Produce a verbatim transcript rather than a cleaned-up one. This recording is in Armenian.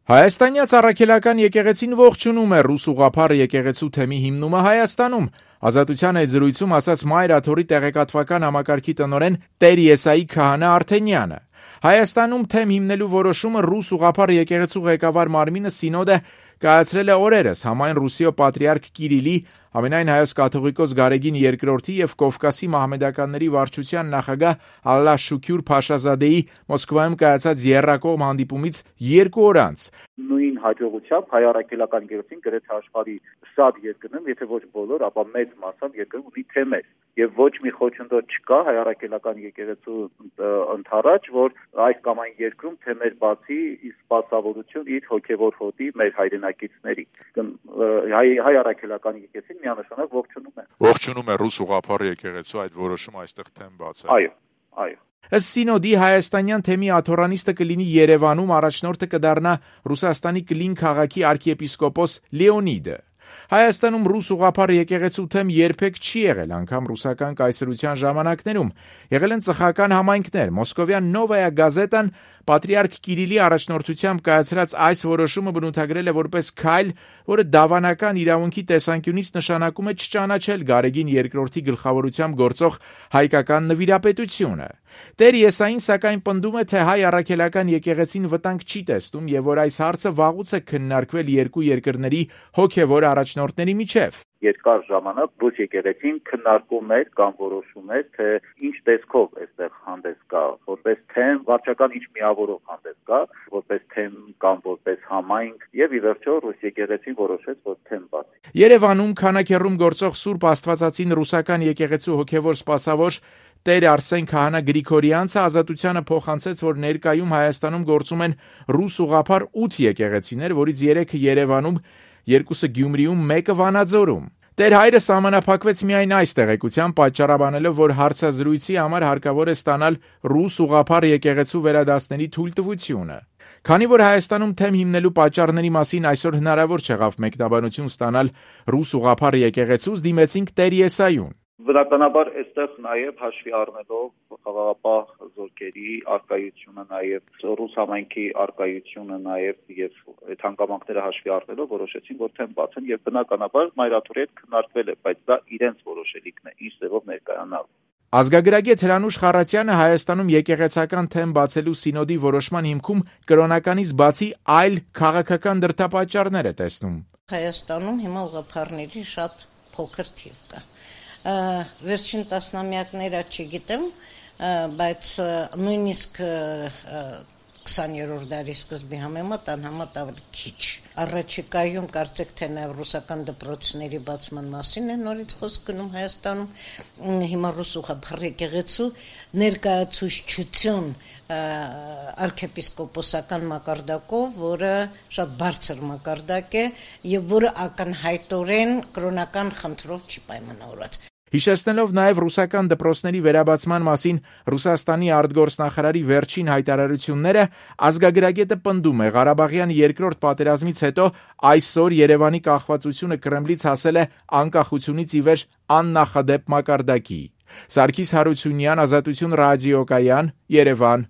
Հայաստանյաց առաքելական եկեղեցին ողջունում է ռուս ուղղափառ եկեղեցու թեմի հիմնումը Հայաստանում։ Ազատության այդ զրույցում ասաց Մայր Աթոռի տեղեկատվական համակարգի տնօրեն Տեր Եսայի Քահանա Արթենյանը։ Հայաստանում թեմ հիմնելու որոշումը ռուս ուղղափառ եկեղեցու ղեկավար մարմինը Սինոդը կայացրել է օրերս համայն Ռուսիո պատրիարք Կիրիլի, Ամենայն հայոց կաթողիկոս Գարեգին երկրորդի եւ Կովկասի մահմեդականների վարչության նախագահ Ալլա Շուքյուր Փաշազադեի Մոսկվայում կայացած եռակողմ հանդիպումից երկու օր անց։ Նույն հաջողությամբ հայ առաքելական եկեղեցին գրեթե աշխարհի շատ երկրներում, եթե ոչ բոլոր, ապա մեծ մասամբ երկրում ունի թեմեր եւ ոչ մի խոչընդոտ չկա հայ առաքելական եկեղեցու ընդառաջ, որ այս կամ այն երկրում թեմեր բացի ի սպասավորություն իր հոգեվոր հոտի մեր հայրենակիցների։ Հայ հայ առաքելական եկեղեցին միանշանակ ողջունում է։ Ողջունում է ռուս ուղղափառ եկեղեցու այդ որոշումը այստեղ թեմ բացել։ Այո, այո։ Ըստ Սինոդի հայաստանյան թեմի աթոռանիստը կլինի Երևանում, առաջնորդը կդառնա Ռուսաստանի Կլին քաղաքի arczepiskopos Լեոնիդը։ Հայաստանում ռուս ուղղափառ եկեղեցու թեմ երբեք չի եղել, անգամ ռուսական կայսրության ժամանակներում։ Եղել են ծխական համայնքներ։ Մոսկովյան Նովայա գազետան Պատրիարք Կիրիլի առաջնորդությամբ կայացրած այս որոշումը բնութագրել է որպես քայլ, որը դավանական իրավունքի տեսանկյունից նշանակում է չճանաչել Գարեգին երկրորդի գլխավորությամբ գործող հայկական նվիրապետությունը։ Տեր Եսային սակայն պնդում է, թե հայ առաքելական եկեղեցին վտանգ չի տեսնում եւ որ այս հարցը վաղուց է քննարկվել երկու երկրների հոգեվոր առաջնորդների միջև։ Երկար ժամանակ ռուս եկեղեցին քննարկում էր կամ որոշում էր, թե ինչ տեսքով այստեղ հանդես գա, որպես թեմ, վարչական ինչ միավորով հանդես գա, որպես թեմ կամ որպես համայնք, եւ ի վերջո ռուս եկեղեցին որոշեց, որ թեմ բացի։ Երևանում քանաքեռում գործող Սուրբ Աստվածածին ռուսական եկեղեցու հոգեվոր սպասավոր Տեր Արսեն Քահանա Գրիգորյանցը Ազատությանը փոխանցեց, որ ներկայում Հայաստանում գործում են ռուս ուղղափառ ութ եկեղեցիներ, որից երեքը Երևանում, երկուսը Գյումրիում, մեկը Վանաձորում։ Տեր հայրը սահմանափակվեց միայն այս տեղեկությամբ, պատճառաբանելով, որ հարցազրույցի համար հարկավոր է ստանալ ռուս ուղղափառ եկեղեցու վերադասների թույլտվությունը։ Քանի որ Հայաստանում թեմ հիմնելու պատճառների մասին այսօր հնարավոր չեղավ մեկնաբանություն ստանալ ռուս ուղղափառ եկեղեցուց, դիմեցինք Տեր Եսայուն։ Բնականաբար այստեղ նաև հաշվի առնելով խաղաղապահ զորքերի արկայությունը, նաև ռուս համայնքի արկայությունը, նաև եւ այդ հանգամանքները հաշվի առնելով որոշեցին, որ թեմ բացեն եւ բնականաբար Մայր Աթոռի հետ քննարկվել է, բայց դա իրենց որոշելիքն է, ինչ ձևով ներկայանալ։ Ազգագրագետ Հրանուշ Խառատյանը Հայաստանում եկեղեցական թեմ բացելու Սինոդի որոշման հիմքում կրոնականից բացի այլ քաղաքական դրդապատճառներ է տեսնում։ Հայաստանում հիմա ուղղափառների շատ փոքր թիվ կա։ Վերջին տասնամյակները չգիտեմ, բայց նույնիսկ քսաներորդ դարի սկզբի համեմատ անհամեմատ ավելի քիչ։ Առաջիկայում կարծեք թե նաև ռուսական դպրոցների բացման մասին է նորից խոսք գնում Հայաստանում։ Հիմա ռուս ուղղափառ եկեղեցու ներկայացուցչություն arczepiskoposական մակարդակով, որը շատ բարձր մակարդակ է եւ որը ակնհայտորեն կրոնական խնդրով չի պայմանավորված։ Հիշեցնելով նաև ռուսական դպրոցների վերաբացման մասին Ռուսաստանի արտգործնախարարի վերջին հայտարարությունները, ազգագրագետը պնդում է Ղարաբաղյան երկրորդ պատերազմից հետո այսօր Երևանի կախվածությունը Կրեմլից հասել է անկախությունից ի վեր աննախադեպ մակարդակի։ Սարգիս Հարությունյան, Ազատություն ռադիոկայան, Երևան։